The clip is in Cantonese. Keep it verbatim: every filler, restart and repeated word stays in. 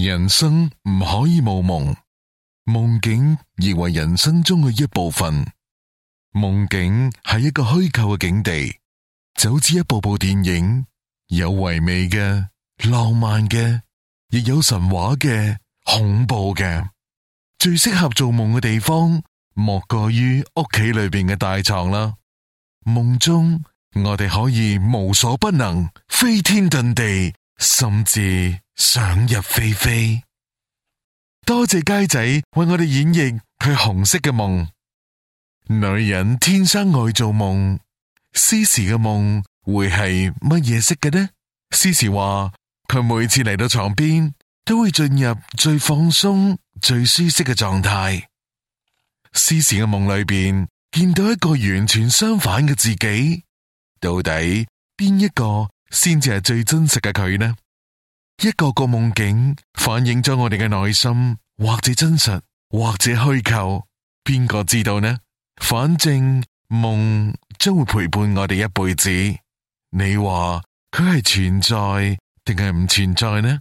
人生唔可以冇夢，夢境亦為人生中嘅一部分。夢境係一個虛構嘅境地，就好似一部部電影，有唯美嘅、浪漫嘅，亦有神話嘅、恐怖嘅。最適合做夢嘅地方，莫過於屋企裏邊嘅大床啦。夢中我哋可以無所不能，飛天遁地，甚至想入非非。多謝佳仔為我哋演繹佢紅色嘅夢。女人天生愛做夢，詩詩嘅夢會係乜嘢色嘅呢？詩詩話佢每次嚟到床邊都會進入最放鬆、最舒適嘅狀態。詩詩嘅夢裏邊見到一個完全相反嘅自己，到底邊一個先至係最真實嘅佢呢？一個個夢境反映咗我哋嘅內心，或者真實，或者虛構，邊個知道呢？反正夢將會陪伴我哋一輩子。你話佢係存在定係唔存在呢？